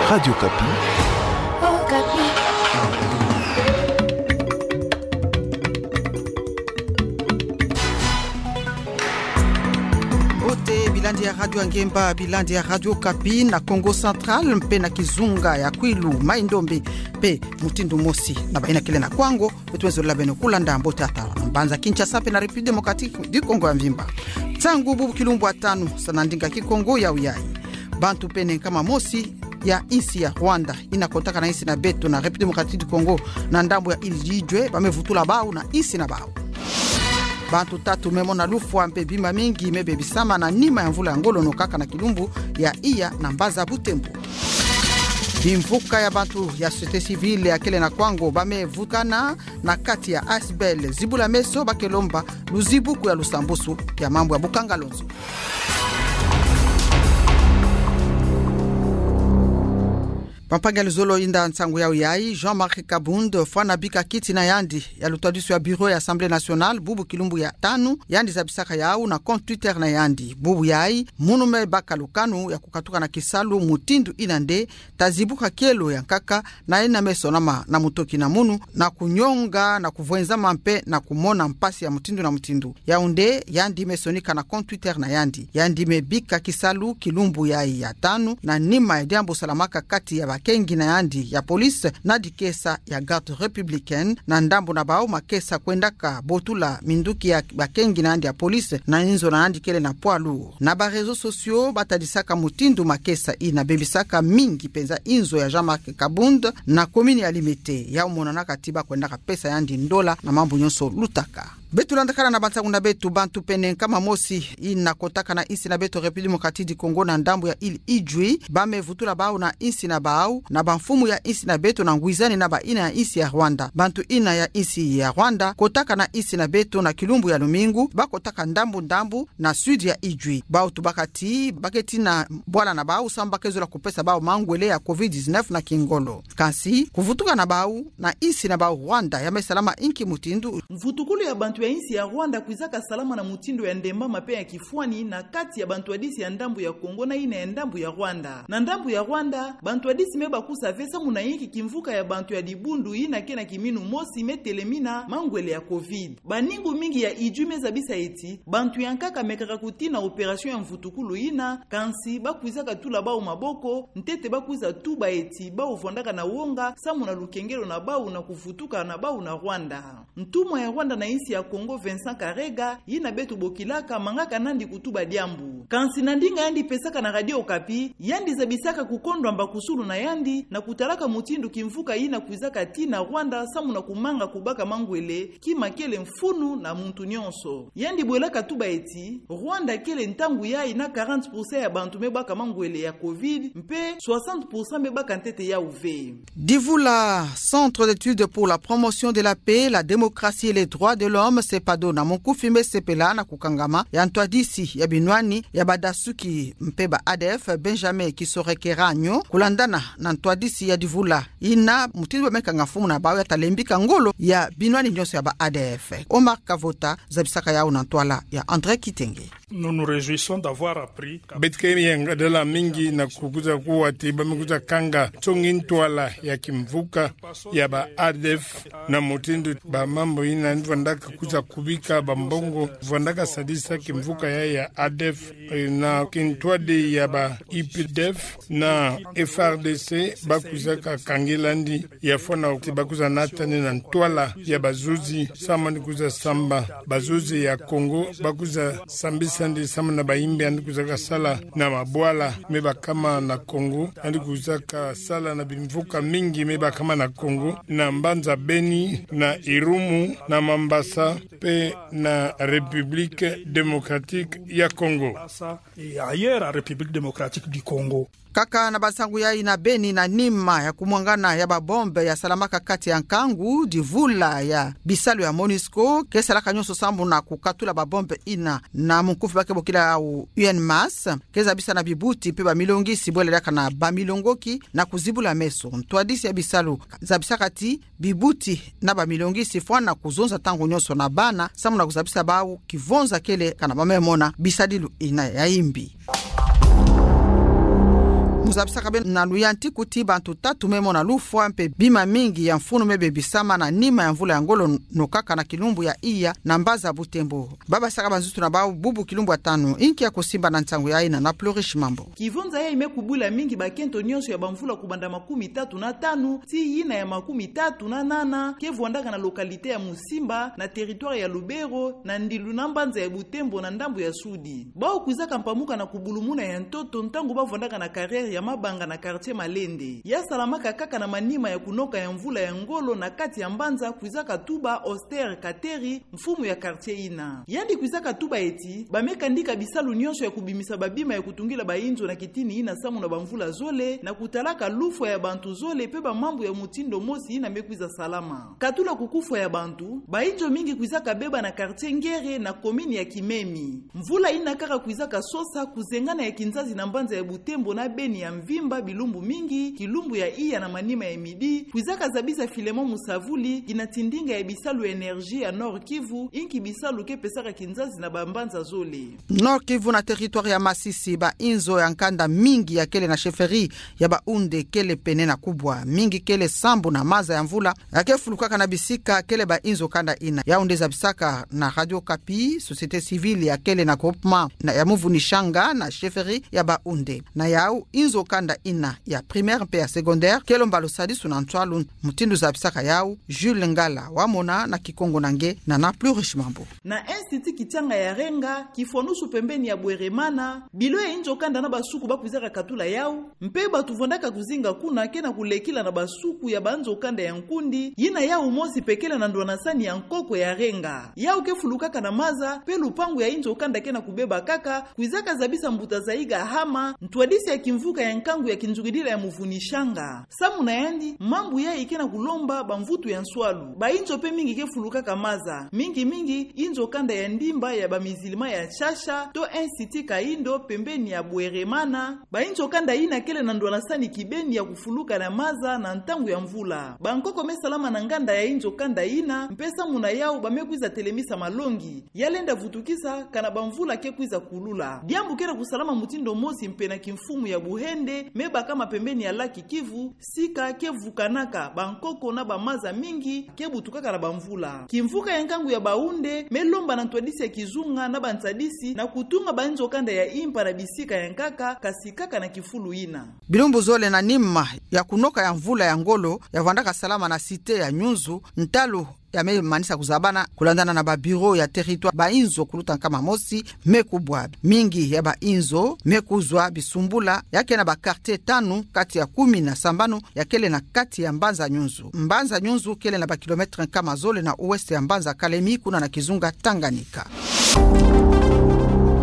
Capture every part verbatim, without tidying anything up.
Radio Okapi. Mbote bilandi ya Radio Ngemba, bilandi ya Radio Okapi na Kongo Central mpe na kizunga ya Kwilu, Mai-Ndombe, mpe mutindu mosi na bayina kele na Kwango, beto mwenze lola beno kulanda mbote ya tala na mbanza Kinshasa mpe na République Démocratique du Congo ya mvimba. Nsangu bubu kilumbu ya tanu, sa na ndinga Kikongo, yau yayi: Bantu pene nkama mosi ya insi ya Rwanda ina kotaka na insi na beto na République Démocratique du Congo na ndambu ya Île Idjoué, ba me vutula bau na insi na bau. Bantu tatu me mona lufwa mpe bima mingi me bebisama na nima ya mvula ya ngolo, nokaka na kilumbu ya iya na mbanza Butembo. Bimvuka ya bantu ya société civile ya kele na Kwango ba me vukana na kati ya Asbl Zibula Meso, ba ke lomba luzibuku ya lusambusu ya mambu ya bukanga lonzo. Bampangi ya luzolo, inda nsangu yau yayi: Jean-Marc Kabund fwana bika kiti na yandi ya lutwadisu ya bureau ya Assemblée nationale bubu kilumbu ya tanu. Yandi zabisaka yau na compte Twitter na yandi. Bubu yayi, munu me baka lukanu ya kukatuka na kisalu mutindu ina nde ta zibuka kielo ya nkaka, na ina me sonama na mutoki na munu, na kunyonga, na kuvwenzama mpe na kumona mpasi ya mutindu na mutindu. Yau nde yandi me sonika na compte Twitter na yandi. Yandi me bika kisalu kilumbu yayi ya tanu, na nima ya diambu salamaka kati ya bakengi na yandi ya police na dikesa ya Garde républicaine. Na ndambu na bau, makesa kwendaka botula minduki ya bakengi na yandi ya police na inzo na yandi kele na poids lourd. Na ba réseaux sociaux, ba tadisaka mutindu makesa ina bebisaka mingi mpenza inzo ya Jean-Marc Kabund na commune ya Limete. Yau monanaka ti ba kwendaka pesa yandi ndola na mambu nyonso lutaka. Beto landakana na bansangu na beto. Bantu pene nkama mosi ina kotaka na insi na beto République Démocratique du Congo na ndambu ya Île Idjoué, ba me vutula bau na insi na bau na bamfumu ya insi na beto na ngwizani na bayina ya insi ya Rwanda. Bantu ina ya insi ya Rwanda kotaka na insi na beto na kilumbu ya lumingu, ba kotaka ndambu ndambu na sud ya Idjoué. Bau tubaka ti ba keti na bwala na bau samu ba ke zola kupesa bau mangwele ya covid dix-neuf na kingolo. Kansi kuvutuka na bau na insi na bau Rwanda ya me salama inki mutindu? Mvutukulu ya bantu ya insi ya Rwanda kwizaka salama na mutindu ya ndembama mpe ya kifwani na kati ya bantwadisi ya ndambu ya Congo na ina ya ndambu ya Rwanda. Na ndambu ya Rwanda, bantwadisi me bakusa ve samu na yinki kimvuka ya bantu ya dibundu ina ke na kiminu mosi me telemina mangwele ya covid. Baningu mingi ya Idjoué me zabisa ti bantu ya nkaka mekaka kutina opération ya mvutukulu ina, kansi ba kwizaka tula bau maboko, ntete ba kwiza tuba ti bau vwandaka na wonga samu na lukengelo na bau na kuvutuka na bau na Rwanda. Ntumwa ya Rwanda na insi ya Congo, Vincent Karega, yina beto bokilaka, mangaka nandi kutuba diambu. Kansi na ndinga yandi pesaka na Radio Okapi, yandi zabisaka kukondwa mbakusulu na yandi na kutalaka mutindu kimvuka yina kwizaka tii na Rwanda samu na kumanga kubaka mangwele, kima kele mfunu na muntu nyonso. Yandi bwelaka tuba ti Rwanda kele ntangu yayi na quarante pour cent ya bantu me baka mangwele ya covid, mpe soixante pour cent me baka ntete yau ve. Divula, Centre d'études pour la promotion de la paix, la démocratie et les droits de l'homme, CEPADHO na monkufi, me sepela na kukangama ya ntwadisi ya binwani ya badasuki mpe ba ADF, Benjamin Kisorekeranyo, kulandana na ntwadisi ya divula ina, mutindu ba me kanga mfumu na bau ya ta lembika ngolo ya binwani nyonso ya ba ADF. Omar Kavota zabisaka yau na ntwala ya André Kitenge. Nous nous réjouissons d'avoir appris que... Beto ke yangadala mingi na kukwiza kuwa ti ba me kwiza kanga nsongi ntwala ya kimvuka ya ba ADF, na mutindu ba mambu yina yandi vwandaka kwiza kubika bambongo, vwandaka sadisa kimvuka ya, ya ADF, eh, na kintwadi ya ba UPDF na FARDC, ba kwizaka kangela yandi, ya fwana ti ba kwiza nata yandi na ntwala ya bazuzi, samu yandi kwiza samba. Bazuzi ya Congo ba kwiza sambisa yandi samu na bayimbi yandi kwizaka sala na mabwala me bakama na Congo. Yandi kwizaka sala na bimvuka mingi me bakama na Congo, na mbanza Beni, na Irumu, na Mambasa, mpe na République démocratique ya Congo. Et ailleurs, en République démocratique du Congo. Kaka na bansangu yayi, na Beni, na nima ya kumwangana ya babombe ya salamaka kati ya nkangu, divula ya bisalu ya MONUSCO ke salaka nyonso sambu na kukatula babombe ina, na monkufi ba ke bokila yau UNMAS, ke zabisa na bibuti mpe bamilongisi bwela diaka na bamilongoki na kuzibula meso. Ntwadisi ya bisalu zabisaka ti bibuti na bamilongisi fwana kuzonza ntangu nyonso na bana samu na kuzabisa bau kivonza kele kana ba me mona bisadilu ina ya imbi. Zabisaka beno na luyantiku ti bantu tatu me mona lufwa mpe bima mingi ya mfunu me bebisama na nima ya mvula ya ngolo nokaka na kilumbu ya iya na mbaza Butembo. Ba basaka banzutu na bau bubu kilumbu ya tanu. Inki ya kusimba na nsangu ya ina na Plurish Mambo. Kivunza yayi me kubula mingi bakento nyonso ya bamvula kubanda makumi tatu na tanu tii yina ya makumi tatu na nana, ke vwandaka na localité ya Musimba, na territoire ya Lubero, na ndilu na mbanza ya Butembo na ndambu ya sudi. Bau kwizaka mpamuka na kubulumuna ya ntoto ntangu ba vwandaka na carrière ya mabanga na quartier Malende. Ya salamaka kaka na manima ya kunoka ya mvula ya ngolo na kati ya mbanza, kwizaka tuba Auster Kateri, mfumu ya quartier ina. Yandi kwizaka tuba eti, ba me kandika bisalu nyonso ya kubimisa babima ya kutungila bainzo na kitini ina samu na bamvula zole, na kutalaka lufwa ya bantu zole mpe bamambu ya mutindu mosi ina me kwiza salama. Katula kukufwa ya bantu, bainzo mingi kwizaka beba na quartier Ngere na commune ya Kimemi. Mvula ina kaka kwizaka sosa kuzengana ya kinzazi na mbanza ya Butembo na Beni ya mvimba bilumbu mingi, kilumbu ya iya na manima ya midi, kwizaka zabisa Filemon Musavuli, kina tindinga ya bisalu énergie ya Nord-Kivu, inki bisalu ke pesaka kinzazi na bambanza zole. Nord-Kivu na territoire ya Masisi, bainzo ya nkanda mingi ya kele na chefferie ya Baunde kele pene na kubwa. Mingi kele sambu na maza ya mvula ya ke fulukaka na bisika kele bainzo kanda ina. Yau nde zabisaka na Radio Okapi société civile ya kele na groupement na ya Muvunishanga na chefferie ya Baunde. Na yau, inzo kanda ina ya primaire mpe ya secondaire ke lomba lusadisu na nswalu, mutindu zabisaka yau Jules Ngala, wamona na Kikongo na nge na na Plurish Mambo. Na Institut Kichanga ya Renga, kifwanusu pembeni ya Bweremana, bilo ya inzo kanda na basuku ba kwizaka katula yau, mpe batu vwandaka kuzinga kuna ke na kulekila na basuku ya banzo kanda ya nkundi, yina yau mosi pe kele na ndwanasani ya nkoko ya Renga. Yau ke fulukaka na maza, mpe lupangu ya inzo kanda ke na kubeba kaka, kwizaka zabisa mbuta Zaiga Hama, ntwadisi ya kimvuka ya nkangu ya kinzukidila ya Muvunishanga. Samu na yandi, mambu yayi ke na kulomba bamvutu ya nswalu. Bainzo mpe mingi ke fulukaka maza. Mingi mingi, inzo kanda ya ndimba ya bamizilima ya Shasha, to Institut Kaindo, pembeni ya Bweremana. Bainzo kanda ina kele na ndwanasani kibeni ya kufuluka na maza na ntangu ya mvula. Bankoko me salama na nganda ya inzo kanda ina, mpe samu na yau ba me kwiza telemisa malongi. Ya lenda vutukisa, kana bamvula ke kwiza kulula. Diambu ke na kusalama mutindu mosi mpe na kimfumu ya Buhende, me bakama pembeni ya lac Kivu, sika ke vukanaka bankoko na bamaza mingi ke butukaka na bamvula. Kimvuka ya nkangu ya Baunde, me lomba na ntwadisi ya kizunga na bantsadisi, na kutunga bainzo kanda ya impa na bisika ya nkaka, kasi kaka na kifulu ina. Bilumbu zole na nima ya kunoka ya mvula ya ngolo, ya vwandaka salama na cité ya Nyunzu, ntalu ya me manisa kuzabana, kulandana na ba bureau ya territoire, bainzo kuluta nkama mosi me kubwa. Mingi ya bainzo me kuzwa bisumbula, ya ke na ba quartier tanu kati ya kumi na sambanu ya kele na kati ya mbanza Nyunzu. Mbanza Nyunzu kele na ba kilomètre nkama zole na ouest ya mbanza Kalemi, kuna na kizunga Tanganyika.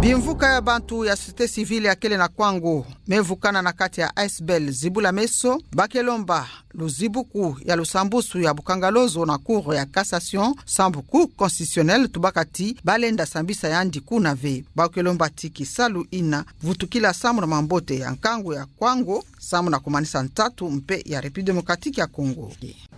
Bimvuka ya bantu ya société civile ya kele na Kwango me vukana na kati ya Asbl Zibula Meso, ba ke lomba luzibuku ya lusambusu ya Bukangalozo na Cour ya Cassation, sambu Cour constitutionnelle tubaka ti ba lenda sambisa yandi kuna ve. Ba ke lomba ti kisalu ina vutukila samu na mambote ya nkangu ya Kwango, samu na kumanisa ntatu mpe ya République Démocratique ya Congo.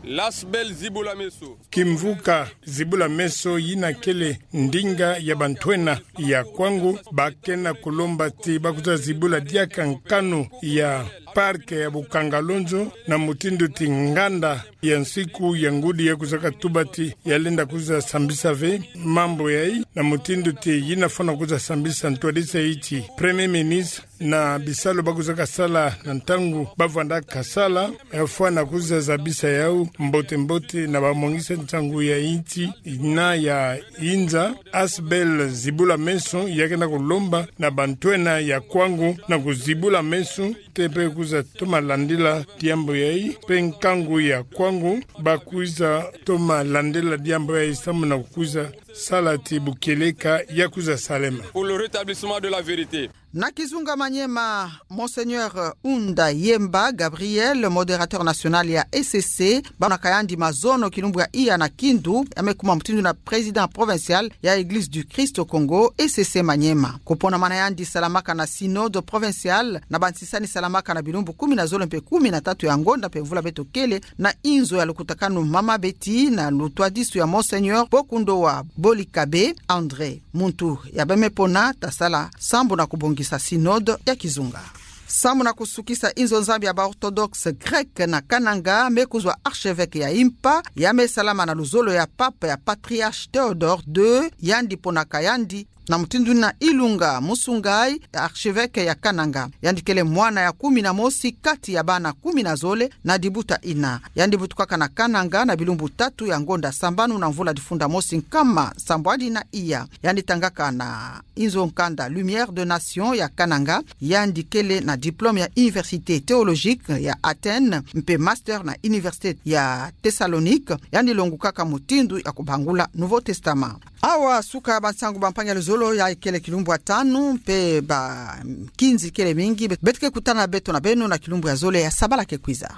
L'Asbl Zibula Meso. Kimvuka Zibula Meso yina kele ndinga ya bantwenya ya Kwango, ba ke na kulomba ti ba kwiza zibula diaka nkanu ya parc ya Bukangalozo, na mutindu ti nganda ya nsiku ya ngudi ya kwizaka tuba ti ya lenda kwiza sambisa ve mambu yayi, na mutindu ti yina fwana kwiza sambisa ntwadisi ya insi, Premier Ministre, na bisalu ba kwizaka sala na ntangu ba vwandaka sala, ya fwana kwiza zabisa yau mbote mbote na bamwangisa nsangu ya insi na ya inza. Asbl Zibula Meso ya ke na kulomba na bantwenya ya Kwango na kuzibula meso, te mpe kwiza toma landila diambu yayi, mpe nkangu ya Kwango ba kwiza toma landila diambu yayi samu na kukwiza sala ti bukieleka ya kwiza salema. Pour le rétablissement de la vérité. Na kizunga Maniema, Monseigneur Unda Yemba Gabriel, modérateur national ya E C C, ba monaka yandi mazono kilumbu ya iya na kindu, ya me kuma mutindu na président provincial ya Église du Christ au Congo, E C C Maniema. Kuponamana yandi salamaka na synode provinciale, na bansisani salamaka na bilumbu kumi na zole mpe kumi na tatu ya ngonda mpe mvula beto kele, na inzo ya lukutakanu mama beti na lutwadisu ya Monseigneur Pokundowa Bolikabe André, muntu ya ba me pona ta sala sambu na kubongisa synode ya kizunga. Samu na kusukisa inzo Nzambi ya ba orthodoxe grec na Kananga, me kuzwa archevêque ya impa, ya me salama na luzolo ya pape ya patriarche Théodore deux, yandi ponaka yandi na mutindu na Ilunga Musungai, archevêque ya Kananga. Yandi kele mwana ya kumi na mosi kati ya bana kumi na zole na dibuta ina. Yandi butukaka na Kananga na bilumbu tatu ya ngonda sambanu na mvula difunda mosi nkama sambwadi na iya. Yandi tangaka na inzo nkanda Lumière de Nation ya Kananga, yandi kele na diplôme ya Université théologique ya Athènes, mpe master na Université ya Thessalonique, yandi longukaka mutindu ya kubangula Nouveau Testament. Awa suka bansangu bampangi ya luzolo, ya ikele kilumbu ya tanu, mpe ba kinzi kele mingi, beto ke kutana beto na beno na kilumbu ya zole ya sabala ke kwiza.